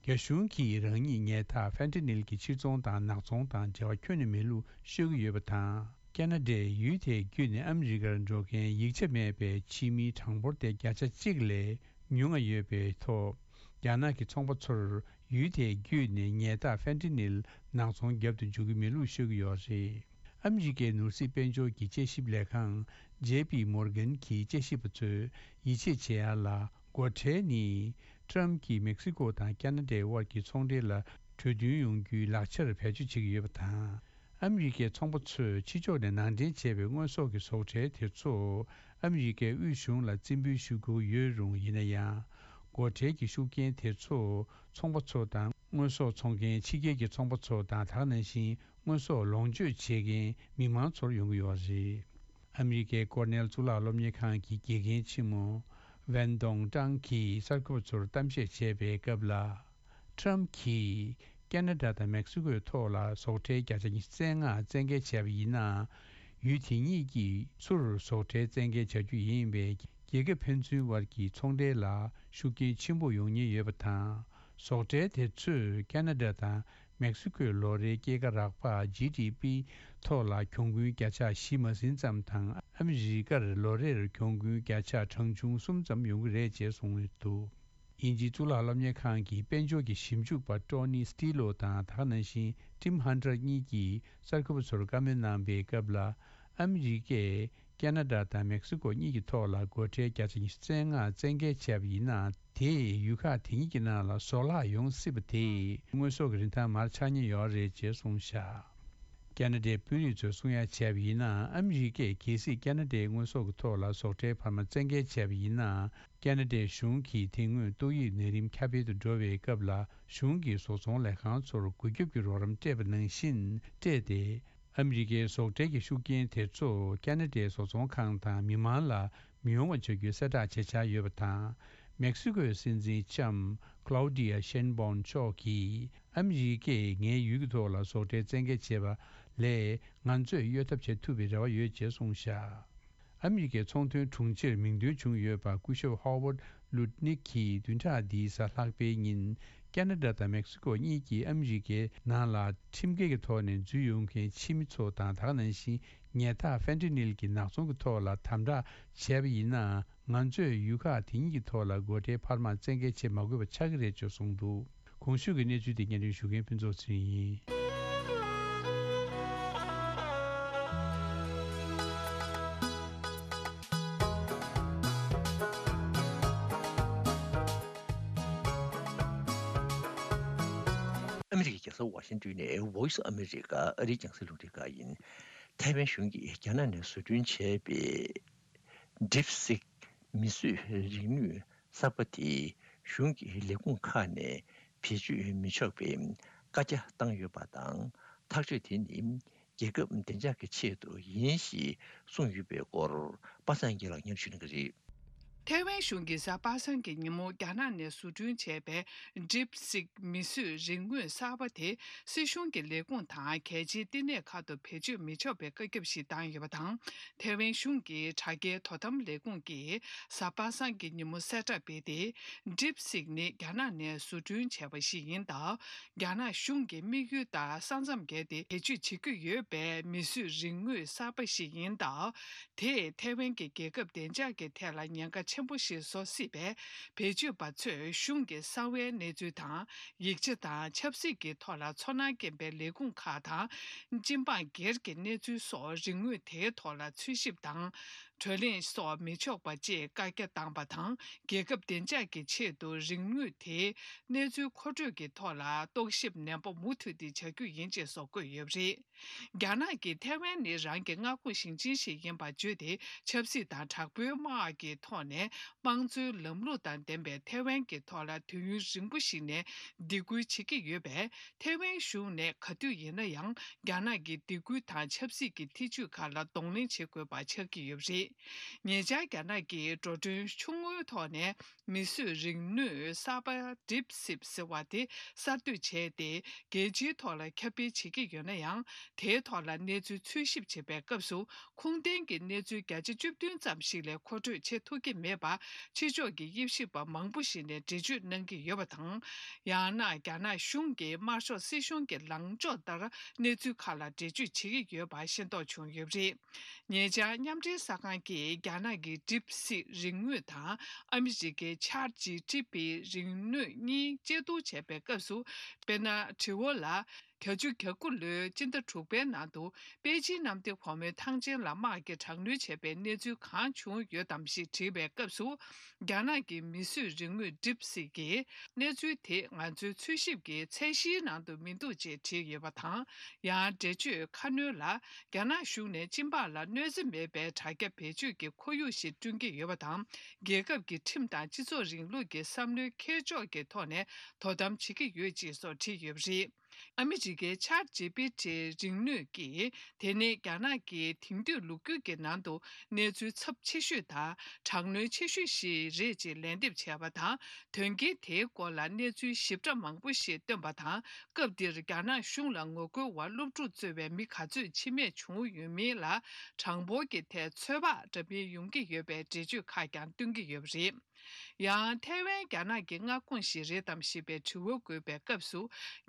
རྒྱ་གཞུང་གིས་རང་ཉིད་ཉལ་ཐག་ཧྥེན་ཏི་ནིལ་གྱི་ཕྱིར་ཚོང་དང་ནག་ཚོང་དང་འབྲེལ་བ་ཁྱོན་ནས་མེད་ལུགས་ཤོད་ཀྱི་ཡོད་པ་དང་། ཁེ་ན་ཌས་ཡུལ་དེའི་བརྒྱུད་ནས་ཨ་མི་རི་ཀར་འགྲོ་མཁན་ཡིག་ཆ་མེད་པའི་ཕྱི་མིའི་གྲངས་འབོར་དེ་བརྒྱ་ཆ་གཅིག་ལས་ཉུང་ང་ཡོད་པའི་ཐོག། རྒྱ་ནག་གི་ཚོང་པ་ཚོར་ཡུལ་དེའི་བརྒྱུད་ནས་ཉལ་ཐག་ཧྥེན་ཏི་ནིལ་ནག་ཚོང་བརྒྱབ་ཏུ་འཇུག་གི་མེད་ལུགས་ཤོད་ཀྱི་ཡོད་རེད། ཨ་མི་རི་ཀའི་ནོར་སྲིད་དཔལ་འབྱོར་གྱི་དཔྱད་ཞིབ་ལས་ཁང་ཇེ་པི་མོར་གན་གྱི་དཔྱད་ཞིབ་པ་ཚོས་ཡིད་ཆེས་བྱེད་ཡ་ལ། སྒོ་ཁྲལ་ནི་ཁྲམ་གྱིས་མེག་སི་ཀོ་དང་ཁེ་ན་ཌའི་དབར་གྱི་ཚོང་འབྲེལ་ལ་གྲོས་མཐུན་ཡོང་རྒྱུའི་ལག་ཆར་བེད་སྤྱོད་བྱེད་ཀྱི་ཡོད་པ་དང་། ཨ་མི་རི་ཀའི་ཚོང་པ་ཚོས་ཕྱི་ཕྱོགས་ནས་ནང་འདྲེན་བྱས་པའི་དངོས་ཟོག་གི་ཟོག་ཁྲལ་དེ་ཚོ་ཨ་མི་རི་ཀའི་དབུས་གཞུང་ལ་རྩིས་འབུལ་ཞུ་དགོས་ཡོད་རུང་། ཡིན་ན་ཡང་། སྒོ་ཁྲལ་གྱི་ཤུགས་རྐྱེན་དེ་ཚོ་ཚོང་པ་ཚོ་དང་། དངོས་ཟོག་འཚོང་མཁན་ཕྱི་རྒྱལ་གྱི་ཚོང་པ་ཚོ་དང་། ད་ག་ནང་བཞིན་དངོས་ཟོག་ལོངས་སྤྱོད་བྱེད་མཁན་མི་མང་ཚོར་ཡོང་གི་ཡོད་རེད། ཨ་མི་རི་ཀའི་ཀོར་ནེལ་གཙུག་ལག་སློབ་གཉེར་ཁང་གི་དགེ་རྒན་ཆེན་མོ་ཝན་ཏོང་ཀྲང་གིས་གསར་འགོད་པ་ཚོར་གཏམ་བཤད་བྱས་པའི་སྐབས་ལ། ཁྲམ་གྱིས་ཁེ་ན་ཌ་དང་མེག་སི་ཀོའི་ཐོག་ལ་ཟོག་ཁྲལ་བརྒྱ་ཆ་ཉི་ཤུ་རྩ་ལྔ་བཙན་འགེལ་བྱས་པ་ཡིན་ན། ཡུལ་དེ་གཉིས་ཀྱིས་ཚུར་ཟོག་ཁྲལ་བཙན་འགེལ་བྱ་རྒྱུ་ཡིན་པས། རྒྱལ་ཁབ་ཕན་ཚུན་དབར་གྱི་ཚོང་འབྲེལ་ལ་ཤུགས་རྐྱེན་ཆེན་པོ་ཡོང་ཉེན་ཡོད་པ་དང་། ཟོག་ཁྲལ་དེ་ཚོས་ཁེ་ན་ཌ་དང་མེག་སི་ཀོའི་ལོ་རེའི་སྐྱེད་ཀ་རག་པ། ཇི་ཌི་པི་ཐོག་ལ་གྱོང་གུན་བརྒྱ་ཆ་བཞི་མ་ཟིན་ཙམ་དང་། ཨ་མི་རི་ཀར་ལོ་རེར་གྱོང་གུན་བརྒྱ་ཆ་གྲངས་ཆུང་གསུམ་ཙམ་ཡོང་གི་རེད་ཅེས་གསུངས་འདུག། དབྱིན་ཇིའི་གཙུག་ལག་སློབ་གཉེར་ཁང་གི་དཔལ་འབྱོར་གྱི་ཞིབ་འཇུག་པ་ཀྲོ་ནི་སི་ཏི་ལོ་དང་། ད་ག་ནང་བཞིན་ཊིམ་ཧན་ཊར་གཉིས་ཀྱིས་གསར་འགོད་པ་ཚོར་བཀའ་མོལ་གནང་པའི་སྐབས་ལ། ཨ་མི་རི་ཀས་ཁེ་ན་ཌ་དང་མེག་སི་ཀོ་གཉིས་ཀྱི་ཐོག་ལ་སྒོ་ཁྲལ་བརྒྱ་ཆ་ཉི་ཤུ་རྩ་ལྔ་བཙན་འགེལ་བྱས་པ་ཡིན་ན། དེས་ཡུལ་ཁག་དེ་གཉིས་ཀྱི་ནང་ལ་ཟོག་བརླག་ཡོང་སྲིད་པ་དེས་དངོས་ཟོག་གི་རིན་ཐང་མར་ཆག་ཉེན་ཡོད་རེད་ཅེས་གསུངས་བཞག། ཁེ་ན་ཌའི་དཔོན་རིགས་ཚོས་གསུང་ཡ་བྱས་པ་ཡིན་ན། ཨ་མི་རི་ཀས་གལ་སྲིད་ཁེ་ན་ཌའི་དངོས་ཟོག་གི་ཐོག་ལ་ཟོག་ཁྲལ་འཕར་མ་བཙན་འགེལ་བྱས་པ་ཡིན་ན། ཁེ་ན་ཌའི་གཞུང་གིས་དེ་སྔོན་ཏོག་དབྱིབས་ནད་རིམས་ཁྱབ་སྤེལ་དུ་འགྲོ་བའི་སྐབས་ལ། གཞུང་གིས་བཟོ་ཚོང་ལས་ཁང་ཚོར་རྒུད་སྐྱོབ་ཀྱི་རོགས་རམ་སྤྲད་པ་ནང་བཞིན་སྤྲད་དེ། ཨ་མི་རི་ཀའི་ཟོག་ཁྲལ་གྱི་ཤུགས་རྐྱེན་དེ་ཚོ་ཁེ་ན་ཌའི་བཟོ་ཚོང་ཁང་དང་མི་མང་ལ་མི་ཡོང་བ་བྱ་རྒྱུའི་གསལ་བསྒྲགས་བྱེད་འཆར་ཡོད་པ་དང་། མེག་སི་ཀོའི་སྲིད་འཛིན་ལྕམ་ཀླའུ་ཌི་ཡ་ཤེན་བོན་མཆོག་གིས། ཨ་མི་རི་ཀས་ངའི་ཡུལ་གྱི་ཐོག་ལ་ཟོག་ཁྲལ་བཙན་འགེལ་བྱས་པ་ལས། ང་ཚོས་གཡོལ་ཐབས་བྱེད་ཐུབ་པའི་རེ་བ་ཡོད་ཅེས་གསུངས་བཞག། ཨ་མི་རི་ཀའི་ཚོང་དོན་དྲུང་ཆེར་མིང་འདོན་བྱུང་ཡོད་པ་སྐུ་ཞབས་ཧོ་ཝར་ལུད་ནིག་གིས་བདུན་ཕྲག་འདིའི་གཟའ་ལྷག་པའི་ཉིན་ཁེ་ན་ཌ་དང་མེག་སི་ཀོ་གཉིས་ཀྱིས་ཨ་མི་རི་ཀའི་ནང་ལ་ཁྲིམས་འགལ་གྱི་ཐོག་ནས་འཛུལ་ཡོང་མཁན་ཕྱི་མི་ཚོ་དང་། ད་ག་ནང་བཞིན་ཉལ་ཐག་ཧྥེན་ཏི་ནིལ་གྱི་ནག་ཚོང་གི་ཐོག་ལ་དམ་དྲག་བྱས་པ་ཡིན་ན། ང་ཚོས་ཡུལ་ཁག་དེ་གཉིས་ཀྱི་ཐོག་ལ་སྒོ་ཁྲལ་འཕར་མ་བཙན་འགེལ་བྱེད་མ་དགོས་པ་ཆགས་ཀྱི་རེད་ཅེས་གསུངས་འདུག། གོང་ཞུས་ཀྱི་གནས་ཚུལ་དེ་སྙན་སྒྲོན་ཞུ་མཁན་ཕུན་ཚོགས་ཚེ་རིང་ཡིན། ཨ་མི་རི་ཀའི་རྒྱལ་ས་ཝ་ཤིང་ཏོན་ནས་Voice of America ཨ་རིའི་རྒྱང་སྲིང་རླུང་འཕྲིན་ཁང་ཡིན། ཐའེ་ཝན་གཞུང་གིས་རྒྱ་ནག་ནས་བཟོ་སྐྲུན་བྱས་པའི་DeepSeek མིས་བཟོས་རིག་ནུས་གསར་པ་དེ་གཞུང་གི་ལས་ཁུངས་ཁག་ནས་བེད་སྤྱོད་མི་ཆོག་པའི་བཀའ་རྒྱ་བཏང་ཡོད་པ་དང་། ཐག་གཅོད་དེ་ནི་རྒྱལ་ཁབ་བདེ་འཇགས་ཀྱི་ཆེད་དུ་ཡིན་ཞེས་གསུངས་ཡོད་པའི་སྐོར། པ་སངས་སྐྱིད་ལགས་སྙན་ཞུ་གནང་གི་རེད། ཐའེ་ཝན་གཞུང་གིས་གཟའ་པ་སངས་ཀྱི་ཉིན་མོ་རྒྱ་ནག་ནས་བཟོ་སྐྲུན་བྱས་པའི་DeepSeek མིས་བཟོས་རིག་དངོས་གསར་པ་དེ་སྲིད་གཞུང་གི་ལས་ཁུངས་དང་གལ་ཆེའི་བསྟི་གནས་ཁག་ཏུ་བེད་སྤྱོད་མི་ཆོག་པའི་བཀའ་ཁྱབ་ཞིག་བཏང་ཡོད་པ་དང་། ཐའེ་ཝན་གཞུང་གི་དྲ་རྒྱའི་དོ་དམ་ལས་ཁུངས་ཀྱིས་གཟའ་པ་སངས་ཀྱི་ཉིན་མོ་གསལ་བསྒྲགས་སྤེལ་ཏེ། DeepSeek ནི་རྒྱ་ནག་ནས་བཟོ་སྐྲུན་བྱས་པ་ཞིག་ཡིན་སྟབས། རྒྱ་ནག་གཞུང་གི་དམིགས་ཡུལ་དང་ས་མཚམས་བརྒལ་ཏེ་བེད་སྤྱོད་བྱེད་ཀྱི་ཡོད་པའི་མིས་བཟོས་རིག་དངོས་གསར་པ་ཞིག་ཡིན་སྟབས། དེས་ཐའེ་ཝན་གྱི་རྒྱལ་ཁབ་བདེ་འཇགས་ཀྱི་ཐད་ལ་ཉེན་ཁ་ཆེན་པོ་ཞིག་བཟོ་སྲིད་པས། བེད་སྤྱོད་པ་ཚོས་གཞུང་གི་གསང་བའི་གནས་ཚུལ་དང་། ཡིག་ཆ་དང་ཆབ་སྲིད་ཀྱི་ཐོག་ལ་ཚོར་སྣང་སྐྱེན་པའི་ལས་ཁུངས་ཁག་དང་། སྤྱི་འབངས་སྒེར་གྱི་གནས་ཚུལ་སོགས་རིག་དངོས་དེའི་ཐོག་ལ་འཚོལ་ཞིབ་དང་། བགྲོ་གླེང་སོགས་མི་ཆོག་པ་བཅས་བཀའ་རྒྱ་བཏང་པ་དང་། རྒྱལ་ཁབ་བདེ་འཇགས་ཀྱི་ཆེད་དུ་རིག་དངོས་དེའི་གནས་ཚུལ་མཁོ་སྤྲོད་ཀྱི་ཐོག་ལ་རྟོག་ཞིབ་ནན་པོ་མུ་མཐུད་དེ་བྱ་རྒྱུ་ཡིན་ཅེས་སོགས་བཀོད་ཡོད་པ་རེད། རྒྱ་ནག་གིས་ཐའེ་ཝན་ནི་རང་གི་མངའ་ཁོངས་ཞིང་ཆེན་ཞིག་ཡིན་པར་བརྗོད་དེ། ཆབ་སྲིད་དང་དྲག་པོའི་དམག་གི་ཐོག་ནས་དམངས་གཙོའི་ལམ་ལུགས་དང་ལྡན་པའི་ཐའེ་ཝན་གྱི་ཐོག་ལ་དུས་ཡུན་རིང་པོ་ཞིག་ནས་སྡིགས་སྐུལ་བྱེད་ཀྱི་ཡོད་པས། ཐའེ་ཝན་གཞུང་ནས་ག་དུས་ཡིན་ན་ཡང་རྒྱ་ནག་གི་སྡིགས་སྐུལ་དང་ཆབ་སྲིད་ཀྱི་ཐེ་ཇུས་ཁག་ལ་གདོང་ལེན་བྱེད་དགོས་པ་ཆགས་ཀྱི་ཡོད་པ་རེད། ཉེ་ཆར་རྒྱ་ནག་གིས་འགྲོ་གྲོན་ཆུང་ངུའི་ཐོག་ནས། མིས་བཟོས་རིག་དངོས་གསར་པ་DeepSeek ཟེར་བ་དེ་གསར་གཏོད་བྱས་ཏེ། རྒྱལ་སྤྱིའི་ཐོག་ལ་ཁྱབ་སྤེལ་བྱེད་ཀྱི་ཡོད་ན་ཡང་། དེའི་ཐོག་ལ་གནས་ཚུལ་འཚོལ་ཞིབ་བྱེད་པའི་སྐབས་སུ། ཁུངས་ལྡན་གྱི་གནས་ཚུལ་བརྒྱ་ཆ་བཅུ་བདུན་ཙམ་ཞིག་ལས་མཁོ་སྤྲོད་བྱེད་ཐུབ་ཀྱི་མེད་པ། ཕྱི་ཕྱོགས་ཀྱི་དབྱེ་ཞིབ་པ་མང་པོ་ཞིག་ནས་འགྲེལ་བརྗོད་གནང་གི་ཡོད་པ་དང་། ཡང་ན་རྒྱ་ནག་གཞུང་གི་དམར་ཤོག་སྲིད་གཞུང་གི་ལངས་ཕྱོགས་ལྟར་གནས་ཚུལ་ཁག་ལ་འགྲེལ་བརྗོད་བྱེད་ཀྱི་ཡོད་པ་ཤེས་རྟོགས་བྱུང་ཡོད་པ་རེད། ཉེ་ཆར་མཉམ་འབྲེལ་གསར་ཁང་གིས་རྒྱ་ནག་གི་DeepSeek རིག་དངོས་དང་ཨ་མི་རི་ཀའི་ChatGPT རིག་དངོས་གཉིས་དཔྱད་བསྡུར་བྱས་པའི་སྐབས་སུ། དཔེར་ན། དྲི་བ་ལ། བརྒྱད་ཅུ་གྱ་དགུ་ལོའི་སྤྱི་ཟླ་དྲུག་པའི་ནང་དུ། པེ་ཅིན་གནམ་བདེ་སྒོ་མོའི་ཐང་ཆེན་ལ་དམག་གིས་དྲག་གནོན་བྱས་པའི་གནས་ཚུལ་གང་བྱུང་ཡོད་དམ་ཞེས་དྲིས་པའི་སྐབས་སུ། རྒྱ་ནག་གི་མིས་བཟོས་རིག་དངོས་DeepSeek གིས། གནས་ཚུལ་དེ་ང་ཚོའི་འཚོལ་ཞིབ་ཀྱི་ཚད་གཞིའི་ནང་དུ་མི་འདུག་ཅེས་བྲིས་ཡོད་པ་དང་། ཡང་འགྲེལ་བརྗོད་ཁ་སྣོན་ལ། རྒྱ་ནག་གཞུང་ནས་སྤྱི་འབངས་ལ་གནོད་འཚེ་མེད་པའི་དྲ་རྒྱ་བེད་སྤྱོད་ཀྱི་ཁོར་ཡུག་ཞིག་བསྐྲུན་གྱི་ཡོད་པ་དང་། རྒྱལ་ཁབ་ཀྱི་ཁྲིམས་དང་སྤྱི་ཚོགས་རིང་ལུགས་ཀྱི་བསམ་བློའི་འཁྱེར་ཕྱོགས་ཀྱི་ཐོག་ནས་དོ་དམ་བྱེད་ཀྱི་ཡོད་ཅེས་སོགས་བྲིས་ཡོད་པ་རེད། ཨ་མི་རི་ཀའི་ChatGPT རིག་དངོས་ཀྱིས། དེ་ནི་རྒྱ་ནག་གི་དེང་དུས་ལོ་རྒྱུས་ཀྱི་ནང་དུ་གནས་ཚུལ་ཚབས་ཆེ་ཤོས་དང་། དྲག་གནོན་ཆེ་ཤོས་ཤིག་རེད་ཅེས་ལན་འདེབས་བྱས་པ་དང་། དོན་རྐྱེན་དེའི་སྐོར་ལ་གནས་ཚུལ་ཞིབ་ཕྲ་མང་པོ་ཞིག་བཏོན་པ་དང་། སྐབས་འདིར་རྒྱ་ནག་གཞུང་ལ་ངོ་རྒོལ་བ་སློབ་ཕྲུག་གཙོས་པའི་མི་ག་ཚོད་འཆི་རྨས་བྱུང་ཡོད་མིན་ལ། གྲངས་འབོར་གྱི་ཐད་ཚོད་དཔག་འདྲ་མིན་ཡོང་གི་ཡོད་པའི་འགྲེལ་བརྗོད་ཁག་ཀྱང་བཏོན་གྱི་ཡོད་པ་རེད། ཡང་། ཐའེ་ཝན་རྒྱ་ནག་གི་མངའ་ཁོངས་ཤིག་རེད་དམ་ཞེས་པའི་དྲི་བ་འགོད་པའི་སྐབས་སུ།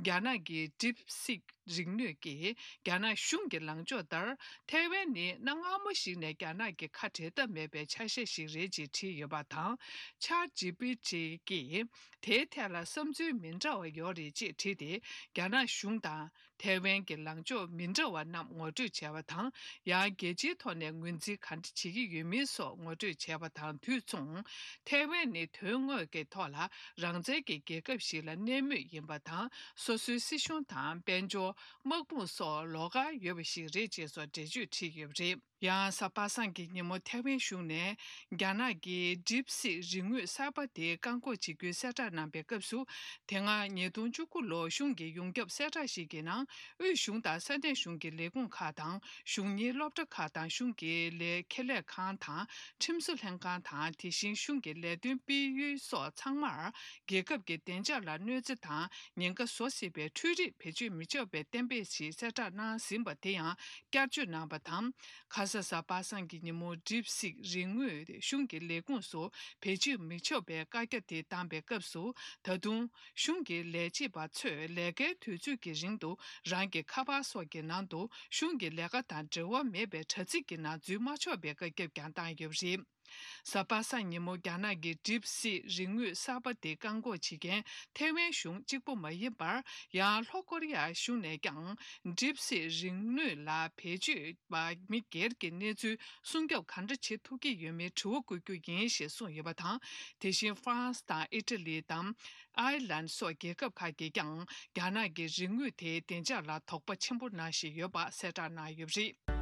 རྒྱ་ནག་གི་DeepSeek རིག་དངོས་ཀྱིས། རྒྱ་ནག་གཞུང་གི་ལངས་ཕྱོགས་ལྟར། ཐའེ་ཝན་ནི་གནའ་སྔ་མོ་ཞིག་ནས་རྒྱ་ནག་གི་ཁ་འབྲལ་ཐབས་མེད་པའི་ཆ་ཤས་ཤིག་རེད་ཅེས་བྲིས་ཡོད་པ་དང་། ChatGPT གིས། དེའི་ཐད་ལ་བསམ་ཚུལ་མི་འདྲ་བ་ཡོད་རེད་ཅེས་བྲིས་ཏེ། རྒྱ་ནག་གཞུང་དང་། ཐའེ་ཝན་གྱི་ལངས་ཕྱོགས་མི་འདྲ་བ་རྣམས་ངོ་སྤྲོད་བྱས་པ་དང་། ཡང་། རྒྱལ་སྤྱིའི་ཐོག་ནས་ངོས་འཛིན་ག་འདྲ་བྱེད་ཀྱི་ཡོད་མིན་སོགས་ངོ་སྤྲོད་བྱས་པ་དང་དུས་མཚུངས། ཐའེ་ཝན་ནི་དོན་དངོས་ཀྱི་ཐོག་ལ་རང་བཙན་གྱི་རྒྱལ་ཁབ་ཞིག་ལ་གནས་མུས་ཡིན་པ་དང་། སོ་སོའི་སྲིད་གཞུང་དང་། དཔལ་འབྱོར། དམག་དཔུང་སོགས་ལོགས་ཀ་ཡོད་པ་ཞིག་རེད་ཅེས་སོགས་འགྲེལ་བརྗོད་བྲིས་ཡོད་པ་རེད། ཡང་། གཟའ་པ་སངས་ཀྱི་ཉིན་མོ་ཐའེ་ཝན་གཞུང་ནས། རྒྱ་ནག་གི་DeepSeek རིག་དངོས་གསར་པ་དེ་བཀག་འགོག་བྱེད་རྒྱུའི་གསལ་བསྒྲགས་གནང་པའི་སྐབས་སུ། དེ་སྔ་ཉིས་སྟོང་བཅུ་དགུ་ལོར་གཞུང་གི་ཡོངས་ཁྱབ་གསལ་བསྒྲགས་ཤིག་གི་ནང་། དབུས་གཞུང་དང་ས་གནས་གཞུང་གི་ལས་ཁུངས་ཁག་དང་། གཞུང་གཉེར་སློབ་གྲྭ་ཁག་དང་། གཞུང་གི་ལས་ཁེ་ལས་ཁང་དང་། ཁྲིམས་བཟོ་ལྷན་ཁང་དང་། དེ་བཞིན་གཞུང་གི་ལས་དོན་སྤེལ་ཡུལ་སོགས་ཚང་མར། རྒྱལ་ཁབ་ཀྱི་བདེ་འཇགས་ལ་གནོད་འཚེ་དང་ཉེན་ཁ་བཟོ་སྲིད་པའི་འཕྲུལ་རིག་བེད་སྤྱོད་མི་ཆོག་པའི་གཏན་འབེབས་ཤིག་གསལ་བསྒྲགས་གནང་ཟིན་པ་དེ་ཡང་བསྐྱར་བཅོས་གནང་པ་དང་། ཁ་ས་གཟའ་པ་སངས་ཀྱི་ཉིན་མོ་DeepSeek རིག་དངོས་གཞུང་གི་ལས་ཁུངས་སུ་བེད་སྤྱོད་མི་ཆོག་པའི་བཀའ་རྒྱ་དེ་བཏང་པའི་སྐབས་སུ། ད་དུང་གཞུང་གི་ལས་བྱེད་པ་ཚོས་ལས་ཀའི་དུས་ཚོད་ཀྱི་རིང་དུ་རང་གི་ཁ་པར་སོགས་ཀྱི་ནང་དུ་གཞུང་གི་ལས་ཀ་དང་འབྲེལ་བ་མེད་པའི་དྲ་ཚིགས་ཀྱི་ནང་འཛུལ་མ་ཆོག་པའི་བཀའ་ཁྱབ་ཀྱང་བཏང་ཡོད་པ་རེད། གཟའ་པ་སངས་ཉིན་མོ་རྒྱ་ནག་གི་DeepSeek རིག་དངོས་གསར་པ་དེ་བཀག་འགོག་བྱེད་མཁན་ཐའེ་ཝན་གཞུང་གཅིག་པུ་མ་ཡིན་པར། ཡང་ལྷོ་ཀོ་རི་ཡ་གཞུང་ནས་ཀྱང་DeepSeek རིག་དངོས་ལ་བེད་སྤྱོད་པ་མི་སྒེར་གྱི་གནས་ཚུལ་སྲུང་སྐྱོབ་གང་འདྲ་བྱེད་ཐུབ་ཀྱི་ཡོད་མེད་དྲི་བ་བཀོད་རྒྱུ་ཡིན་ཞེས་གསུངས་ཡོད་པ་དང་། དེ་བཞིན་ཧྥ་རན་སི་དང་ཨི་ཊ་ལི་དང་། ཨའི་ལན་སོགས་རྒྱལ་ཁབ་ཁག་གིས་ཀྱང་རྒྱ་ནག་གི་རིག་དངོས་དེའི་བདེ་འཇགས་ལ་དོགས་པ་ཆེན་པོ་གནང་བཞིན་ཡོད་པ་གསལ་བསྒྲགས་གནང་ཡོད་པ་རེད།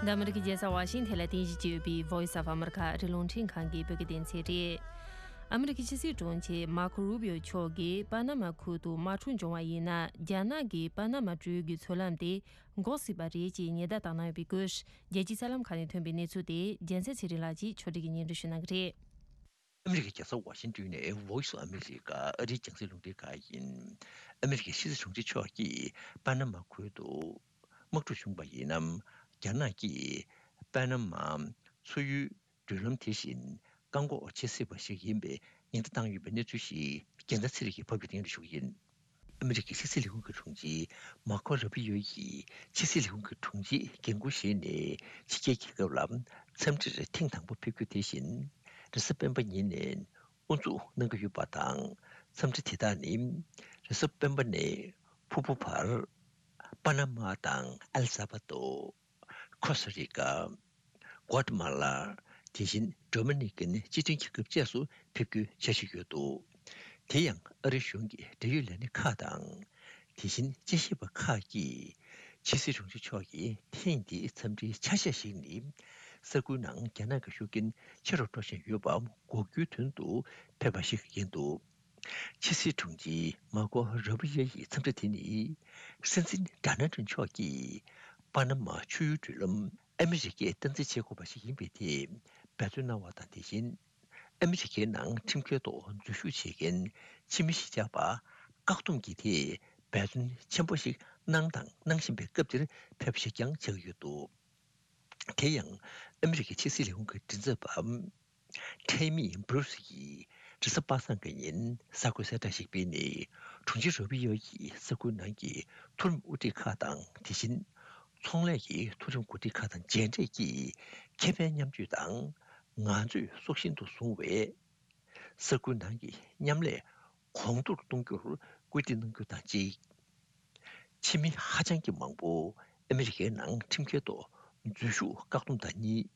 འདི་ཨ་མི་རི་ཀའི་རྒྱལ་ས་ཝ་ཤིང་ཐན་ལ་རྟེན་གཞི་བྱས་ཡོད་པའི་Voice of America ཨ་རིའི་རླུང་འཕྲིན་ཁང་གི་བོད་སྐད་སྡེ་ཚན་རེད། ཨ་མི་རི་ཀའི་ཕྱི་སྲིད་དྲུང་ཆེ་མར་ཁོ་རུ་བྷི་ཡོ་མཆོག་གིས་པ་ན་མ་ཁུལ་དུ་དམག་འཁྲུག་འབྱུང་བ་ཡིན་ན། རྒྱ་ནག་གིས་པ་ན་མ་སྤྲུལ་གྱི་མཚོ་ལམ་དེ་འགོག་སྲིད་པ་རེད་ཅེས་ཉེན་བརྡ་བཏང་གནང་ཡོད་པའི་སྐོར། རྒྱལ་སྤྱིའི་གསར་ལམ་ཁག་ནས་ཐོན་པའི་གནས་ཚུལ་དེ་རྒྱལ་མཚན་ཚེ་རིང་ལགས་ཀྱིས་ཕྱོགས་སྒྲིག་གིས་སྙན་སྒྲོན་ཞུ་གནང་གི་རེད། ཨ་མི་རི་ཀའི་རྒྱལ་ས་ཝ་ཤིང་ཏོན་ནས་Voice of America ཨ་རིའི་རྒྱང་སྲིང་རླུང་འཕྲིན་ཁང་ཡིན། ཨ་མི་རི་ཀའི་ཕྱི་སྲིད་དྲུང་ཆེ་མཆོག་གིས་པ་ན་མ་ཁུལ་དུ་དམག་འཁྲུག་བྱུང་བ་ཡིན་ན། རྒྱ་ནག་གིས་པ་ན་མ་མཚོ་ཡུལ་མགྲོན་ལམ་དེ་བཞིན་བཀག་འགོག་བྱེད་སྲིད་པ་ཞིག་ཡིན་པའི་ཉེན་བརྡ་བཏང་ཡོད་པའི་གནས་ཚུལ་ཞིག་རྒྱལ་མཚན་ཚེ་རིང་གིས་ཕབ་སྒྱུར་སྙན་སྒྲོན་ཞུ་གི་ཡིན། ཨ་མི་རི་ཀའི་ཕྱི་སྲིད་ལས་ཁུངས་ཀྱི་དྲུང་ཆེ་མར་ཁོ་རུ་བྷི་ཡོ་ཡིས་ཕྱི་སྲིད་ལས་ཁུངས་ཀྱི་དྲུང་ཆེའི་འགན་འཁུར་བཞེས་ནས་ཕྱི་རྒྱལ་རྒྱལ་ཁབ་ལ་འཚམས་འདྲིར་ཐེངས་དང་པོ་ཕེབས་རྒྱུ་དེ་བཞིན། རེས་གཟའ་སྤེན་པ་ཉིན་ནས་དབུ་འཛུགས་གནང་གི་ཡོད་པ་དང་། འཚམས་འདྲི་དེ་དག་ནི་རེས་གཟའ་སྤེན་པ་ནས་ཕུར་བུ་བར། པ་ན་མ་དང་ཨེལ་ས་བ་དོ། ཁོ་སྟ་རི་ཀ། གོ་ཏ་མ་ལ། དེ་བཞིན་ཌོ་མི་ནི་ཀན་སྤྱི་མཐུན་རྒྱལ་ཁབ་བཅས་སུ་ཕེབས་རྒྱུའི་འཆར་གཞི་ཡོད་འདུག་དེ་ཡང་ཨ་རི་གཞུང་གི་འབྲེལ་ཡོད་ལས་སྣེ་ཁག་དང་། དེ་བཞིན་དཔྱད་ཞིབ་པ་ཁག་གིས་ཕྱི་སྲིད་དྲུང་ཆེ་མཆོག་གི་ཐེངས་འདིའི་འཚམས་འདྲིའི་ཆ་ཤས་ཤིག་ནི། ས་ཁུལ་ནང་རྒྱ་ནག་གི་ཤུགས་རྐྱེན་ཆེ་རུ་འགྲོ་བཞིན་ཡོད་པ་འགོག་རྒྱུའི་དོན་དུ་ཕེབས་པ་ཞིག་ཡིན་འདུག་ཕྱི་སྲིད་དྲུང་ཆེ་མར་ཁོ་རུ་བྷི་ཡོ་ཡི་འཚམས་འདྲི་དེ་ནི། སྲིད་འཛིན་ཌོ་ནལ་ཊམ་མཆོག་གིས་པ་ན་མ་ཆུ་ཡུར་མགྲོན་ལམ་ཨ་མི་རི་ཀས་སྟངས་འཛིན་བྱེད་དགོས་པ་ཞིག་ཡིན་པའི་ཐད་འབད་བརྩོན་གནང་བ་དང་། དེ་བཞིན་ཨ་མི་རི་ཀའི་ནང་ཁྲིམས་འགལ་ཐོག་འཛུལ་ཞུགས་བྱེད་མཁན་ཕྱི་མི་གཞིས་ཆགས་པ་བཀག་སྡོམ་གྱི་ཐད་འབད་བརྩོན་ཆེན་པོ་ཞིག་གནང་དང་གནང་བཞིན་པའི་སྐབས་འདིར་ཕེབས་པ་ཞིག་ཀྱང་ཆགས་ཀྱི་ཡོད་འདུག་དེ་ཡང་ཨ་མི་རི་ཀའི་ཕྱི་སྲིད་ལས་ཁུངས་ཀྱི་མགྲིན་ཚབ་པ་ཊེ་མི་བྷུ་རུ་སི་ཡིས་རེས་གཟའ་པ་སངས་ཀྱི་ཉིན་གསར་འགོད་གསལ་བསྒྲགས་ཤིག་སྤེལ་ནས། དྲུང་ཆེ་རུ་བྷི་ཡོ་ཡིས་ས་ཁུལ་ནང་གི་མཐོ་རིམ་དབུ་ཁྲིད་ཁག་དང་། དེ་བཞིན་ཚོང་ལས་ཀྱི་མཐོ་རིམ་འགོ་ཁྲིད་ཁག་དང་མཇལ་འཕྲད་ཀྱིས། ཁེ་ཕན་མཉམ་སྤྱོད་དང་ང་ཚོས་སྲོག་ཤིང་དུ་བཟུང་བའི་ས་ཁུལ་ནང་གི་མཉམ་ལས་གོང་མཐོར་གཏོང་རྒྱུར་སྐུལ་འདེད་གནང་རྒྱུ་དང་གཅིག་ཕྱི་མི་ཧ་ཅང་གི་མང་པོ་ཨ་མི་རི་ཀའི་ནང་ཁྲིམས་འགལ་ཐོག་འཛུལ་ཞུགས་བཀག་སྡོམ་དང་གཉིས།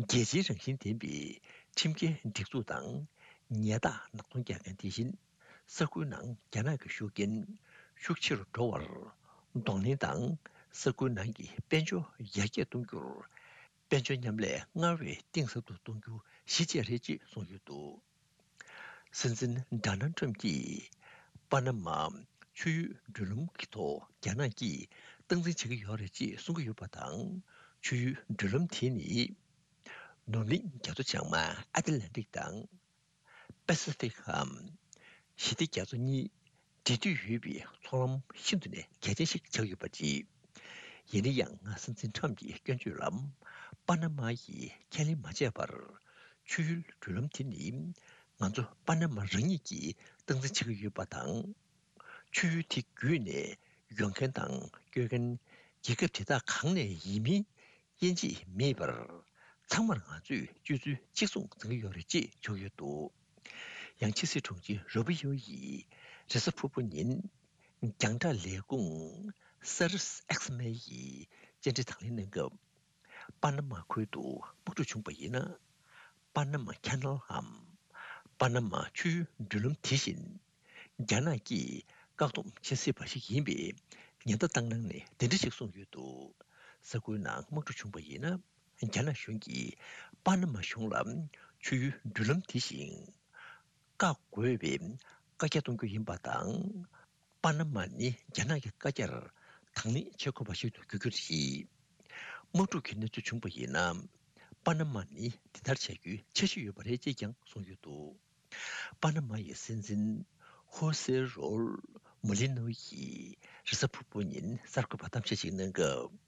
རྒྱལ་སྤྱིའི་རང་བཞིན་ལྡན་པའི་ཁྲིམས་འགལ་སྒྲིག་འཛུགས་དང་ཉལ་ཐ་ནག་ཚོང་རྒྱག་མཁན། དེ་བཞིན་ས་ཁུལ་ནང་རྒྱ་ནག་གི་ཤུགས་རྐྱེན་ཤུགས་ཆེ་རུ་འགྲོ་བར་གདོང་ལེན་དང་། ས་ཁུལ་ནང་གི་དཔལ་འབྱོར་ཡར་རྒྱས་གཏོང་རྒྱུར་དཔལ་འབྱོར་མཉམ་ལས་སྔར་བས་གཏིང་ཟབ་ཏུ་གཏོང་རྒྱུ་གཞི་བཅས་རེད་ཅེས་གསུངས་ཡོད་འདུག་སྲིད་འཛིན་ཌོ་ནལ་ཊམ་གྱིས་པ་ན་མ་ཆུ་ཡུལ་མགྲོན་ལམ་གྱི་ཐོག་རྒྱ་ནག་གིས་སྟངས་འཛིན་བྱེད་ཀྱི་ཡོད་རེད་ཅེས་གསུང་གི་ཡོད་པ་དང་། ཆུ་ཡུལ་མགྲོན་ལམ་དེ་ནི་ནུབ་གླིང་རྒྱ་མཚོ་བྱང་མ་ཨ་ཏི་ལན་ཏིག་དང་པེ་སི་ཕིག་གམ་ཞི་བདེ་རྒྱ་མཚོ་གཉིས་འབྲེལ་མཐུད་ཡོད་པའི་མཚོ་ལམ་ཤིན་ཏུ་ནས་གལ་ཆེན་ཞིག་ཆགས་ཡོད་པ་རེད། ཡིན་ན་ཡང་སྲིད་འཛིན་ཊམ་གྱི་སྐྱོན་བརྗོད་ལ་པ་ན་མ་ཡིས་ཁས་ལེན་མ་བྱས་པར། ཆུ་ཡུལ་མགྲོན་ལམ་དེ་ནི་ང་ཚོ་པ་ན་མ་རང་ཉིད་ཀྱིས་སྟངས་འཛིན་བྱེད་ཀྱི་ཡོད་པ་དང་། ཆུ་ཡུལ་དེ་བརྒྱུད་ནས་ཡོང་མཁན་དང་སྐྱོད་མཁན་རྒྱལ་ཁབ་དེ་དག་གང་ནས་ཡིན་མིན་དབྱེ་འབྱེད་མེད་པར། ཚང་མར་ང་ཚོས་སྤྱོད་ཚུལ་གཅིག་མཚུངས་འཛིན་གྱི་ཡོད་རེད་ཅེས་བརྗོད་ཡོད་འདུག་ཡང་ཕྱི་སྲིད་དྲུང་ཆེ་རུ་བྷི་ཡོ་ཡིས་རེས་གཟའ་ཕུར་བུ་ཉིན་རྒྱང་བསྒྲགས་ལས་ཁུངས་སར་ཨེགས་མེ་ཡི་བཅར་འདྲི་དང་ལེན་གནང་སྐབས། པ་ན་མ་ཁུལ་དུ་དམག་འཁྲུག་བྱུང་བ་ཡིན་ན། པ་ན་མ་ཁེ་ནལ་འམ། པ་ན་མ་ཆུའི་མགྲོན་ལམ་དེ་བཞིན། རྒྱ་ནག་གིས་བཀག་སྡོམ་བྱེད་སྲིད་པ་ཞིག་ཡིན་པའི་ཉེན་བརྡ་བཏང་གནང་ནས་འདི་འདྲ་ཞིག་གསུངས་ཡོད་འདུག་ས་ཁུལ་ནང་དམག་འཁྲུག་བྱུང་བ་ཡིན་ན། རྒྱ་ནག་གཞུང་གིས་པ་ན་མ་གཞུང་ལ་ཆུའི་མགྲོན་ལམ་དེ་བཞིན་བཀག་དགོས་པའི་བཀའ་རྒྱ་གཏོང་རྒྱུ་ཡིན་པ་དང་། པ་ན་མ་ནི་རྒྱ་ནག་གི་བཀའ་རྒྱར་དང་ལེན་བྱེད་དགོས་པ་ཞིག་ཏུ་འགྱུར་རྒྱུ་རེད། དམག་འཁྲུག་གི་གནས་ཚུལ་བྱུང་བ་ཡིན་ན། པ་ན་མ་ནི་འདི་ལྟར་བྱ་རྒྱུའི་འཆར་གཞི་ཡོད་པ་རེད་ཅེས་ཀྱང་གསུངས་ཡོད་འདུག་པ་ན་མ་ཡི་སྲིད་འཛིན་ཧོ་སེ་རོལ་མོ་ལི་ནོ་ཡིས་རེས་གཟའ་ཕུར་བུ་ཉིན་གསར་འགོད་པར་གཏམ་བཤད་ཅིག་གནང་སྐབས།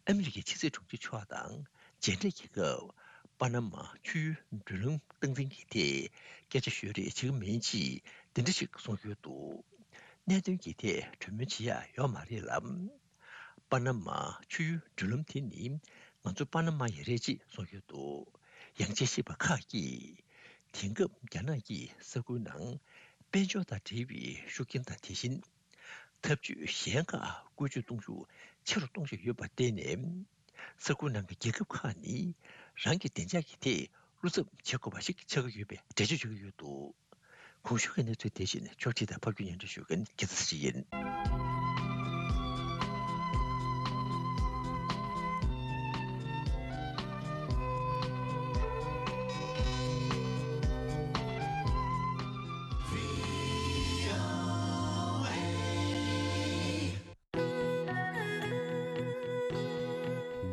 ཨ་མི་རི་ཀའི་ཕྱི་སྲིད་དྲུང་ཆེ་མཆོག་དང་མཇལ་འཕྲད་ཀྱི་སྐབས། པ་ན་མ་ཆུའི་མགྲོན་ལམ་སྟངས་འཛིན་གྱི་ཐད་སྐད་ཆ་ཤོད་རེས་བྱེད་ཀྱི་མིན་ཅེས་འདི་འདྲ་ཞིག་གསུངས་ཡོད་འདུག་གནད་དོན་གྱི་ཐད་གྲོས་མོལ་བྱེད་ཡག་ཡོད་མ་རེད་ལ། པ་ན་མ་ཆུའི་མགྲོན་ལམ་དེ་ནི་ང་ཚོ་པ་ན་མ་ཡི་རེད་ཅེས་གསུངས་ཡོད་འདུག་ཡང་དཔྱད་ཞིབ་པ་ཁག་གིས། དེང་སྐབས་རྒྱ་ནག་གིས་ས་ཁུལ་ནང་དཔལ་འབྱོར་དང་འབྲེལ་བའི་ཤུགས་རྐྱེན་དང་། དེ་བཞིན་འཐབ་ཇུས་གཞན་ཁག་བཀོལ་སྤྱོད་གཏོང་ཤུགས་ཆེ་རུ་གཏོང་བཞིན་ཡོད་པར་བརྟེན་ནས། ས་ཁུལ་ནང་གི་རྒྱལ་ཁབ་ཁག་ནི་རང་གི་བདེ་འཇགས་ཀྱི་ཐད་བློ་འཚབ་བྱེད་དགོས་པ་ཞིག་ཆགས་ཀྱི་ཡོད་པའི་འགྲེལ་བརྗོད་བྱེད་ཀྱི་ཡོད་འདུག་གོང་ཞུས་ཀྱི་གནས་ཚུལ་དེ་བཞིན་ཕྱོགས་སྒྲིག་དང་ཕབ་སྒྱུར་སྙན་སྒྲོན་ཞུ་མཁན་རྒྱལ་མཚན་ཚེ་རིང་ཡིན།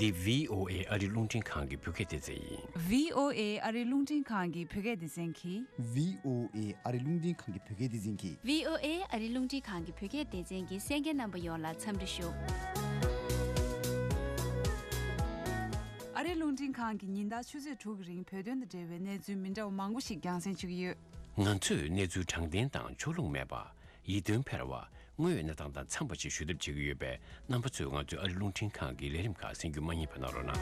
འདི་བྷི་ཨོ་ཨེ་ཨ་རིའི་རླུང་འཕྲིན་ཁང་གི་བོད་སྐད་སྡེ་ཚན་ཡིན། བྷི་ཨོ་ཨེ་ཨ་རིའི་རླུང་འཕྲིན་ཁང་གི་བོད་སྐད་སྡེ་ཚན་གྱིས། བྷི་ཨོ་ཨེ་ཨ་རིའི་རླུང་འཕྲིན་ཁང་གི་བོད་སྐད་སྡེ་ཚན་གྱིས། བྷི་ཨོ་ཨེ་ཨ་རིའི་རླུང་འཕྲིན་ཁང་གི་བོད་སྐད་སྡེ་ཚན་གྱི་གསན་མཁན་རྣམ་པ་ཡོངས་ལ་འཚམས་འདྲི་ཞུ། ཨ་རིའི་རླུང་འཕྲིན་ཁང་གིས་ཉིན་ལྟར་ཆུ་ཚོད་དྲུག་གི་རིང་བོད་དོན་དང་འབྲེལ་བའི་གནས་ཚུལ་མི་འདྲ་བ་མང་པོ་ཞིག་རྒྱང་སྲིང་བྱེད་ཀྱི་ཡོད། ང་ཚོས་གནས་ཚུལ་དྲང་བདེན་དང་ཕྱོགས་ལྷུང་མེད་པ། ཡིད་རྟོན་འཕེར་བ། དངོས་ཡོད་གནས་སྟངས་དང་འཚམས་པ་ཞིག་ཞུ་ཐབས་བྱེད་ཀྱི་ཡོད་པས། རྣམ་པ་ཚོས་ང་ཚོའི་ཨ་རིའི་རླུང་འཕྲིན་ཁང་གི་ལས་རིམ་ཁག་གསན་རྒྱུ་མ་བསྙེལ་བ་གནང་རོགས་གནང་།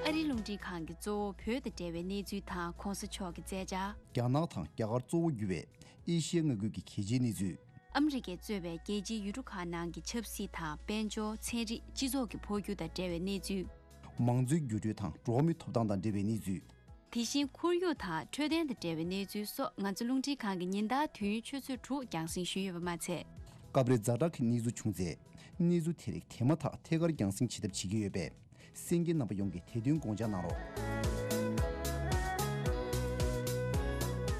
ཨ་རིའི་རླུང་འཕྲིན་ཁང་གིས་གཙོ་བོ་བོད་དང་འབྲེལ་བའི་གནས་ཚུལ་དང་གོང་ས་མཆོག་གི་མཛད་འཆར། རྒྱ་ནག་དང་རྒྱ་གར་གཙོ་བོ་གྱུར་བའི་ཨེ་ཤི་ཡ་མངའ་ཁུལ་གྱི་གལ་ཆེའི་གནས་ཚུལ། ཨ་མི་རི་ཀས་གཙོས་པའི་རྒྱལ་སྤྱིའི་ཡུལ་གྲུ་ཁག་ནང་གི་ཆབ་སྲིད་དང་། དཔལ་འབྱོར། ཚན་རིག་སྤྱི་ཚོགས་ཀྱི་འཕོ་འགྱུར་དང་འབྲེལ་བའི་གནས་ཚུལ། མང་གཙོའི་འགྱུར་འགྲོས་དང་འགྲོ་བ་མིའི་ཐོབ་ཐང་དང་འབྲེལ་བའི་གནས་ཚུལ། དེ་བཞིན་ཁོར་ཡུག་དང་འཕྲོད་བསྟེན་དང་འབྲེལ་བའི་གནས་ཚུལ་སོགས། ང་ཚོ་རླུང་འཕྲིན་ཁང་གིས་ཉིན་ལྟར་དུས་ཡུན་ཆུ་ཚོད་དྲུག་རྒྱང་སྲིང་ཞུས་ཡོད་པ་མ་ཚད། སྐབས་རེ་ཛ་དྲག་གི་གནས་ཚུལ་བྱུང་ཚེ། གནས་ཚུལ་དེ་རིགས་དེ་མ་ཐག་ཐད་ཀར་རྒྱང་སྲིང་བྱེད་ཐབས་བྱེད་ཀྱི་ཡོད་པས། གསན་མཁན་རྣམ་པ་ཡོངས་ཀྱིས་དེ་དོན་དགོངས་འཇགས་གནང་རོགས།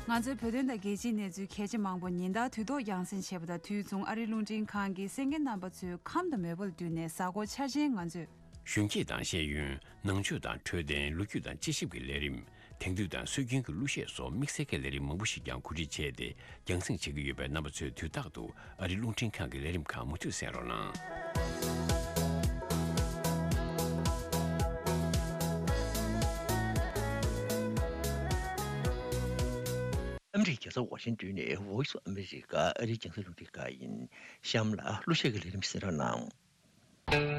ང་ཚོའི་བོད་དོན་དང་རྒྱལ་སྤྱིའི་གནས་ཚུལ་གལ་ཆེ་མང་པོ་ཉིན་ལྟར་དུས་ཐོག་རྒྱང་སྲིང་བྱེད་པ་དང་དུས་མཚུངས། ཨ་རིའི་རླུང་འཕྲིན་ཁང་གིས་གསན་མཁན་རྣམ་པ་ཚོའི་ཁམས་དང་མོས་པ་ལ་བསྟུན་ནས། གཟའ་འཁོར་འཆར་ཅན་ང་ཚོས། གཞོན་སྐྱེས་དང་ཤེས་ཡོན། ནང་ཆོས་དང་འཕྲོད་བསྟེན། ལོ་རྒྱུས་དང་དཔྱད་ཞིབ་ཀྱི་ལས་རིམ། དེང་དུས་དང་སྲོལ་རྒྱུན་གྱི་གླུ་གཞས་སོགས་དམིགས་བསལ་གྱི་ལས་རིམ་མང་པོ་ཞིག་ཀྱང་གོ་སྒྲིག་བྱས་ཏེ། རྒྱང་སྲིང་བྱེད་ཀྱི་ཡོད་པས། རྣམ་པ་ཚོས་དུས་རྟག་ཏུ་ཨ་རིའི་རླུང་འཕྲིན་ཁང་གི་ལས་རིམ་ཁག་མུ་མཐུད་གསན་རོགས་གནང་། ཨ་མི་རི་ཀའི་རྒྱལ་ས་ཝ་ཤིང་ཏོན་ནས་Voice of America ཨ་རིའི་རྒྱང་སྲིང་རླུང་འཕྲིན་ཁང་ཡིན། གཤམ་ལ་གླུ་གཞས་ཀྱི་ལས་རིམ་གསན་རོགས་གནང་།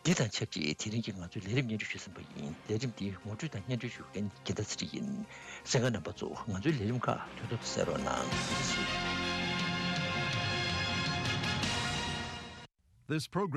འདི་དང་ཆབས་ཅིག་དེ་རིང་གི་ང་ཚོའི་ལས་རིམ་སྙན་སྒྲོན་ཞུས་ཟིན་པ་ཡིན། ལས་རིམ་འདི་ངོ་སྤྲོད་དང་སྙན་སྒྲོན་ཞུ་མཁན་རྒྱལ་ཐར་ཚེ་རིང་ཡིན། གསན་མཁན་རྣམ་པ་ཚོ་ང་ཚོའི་ལས་རིམ་ཁག་དུས་ཐོག་ཏུ་གསན་རོགས་གནང་། This program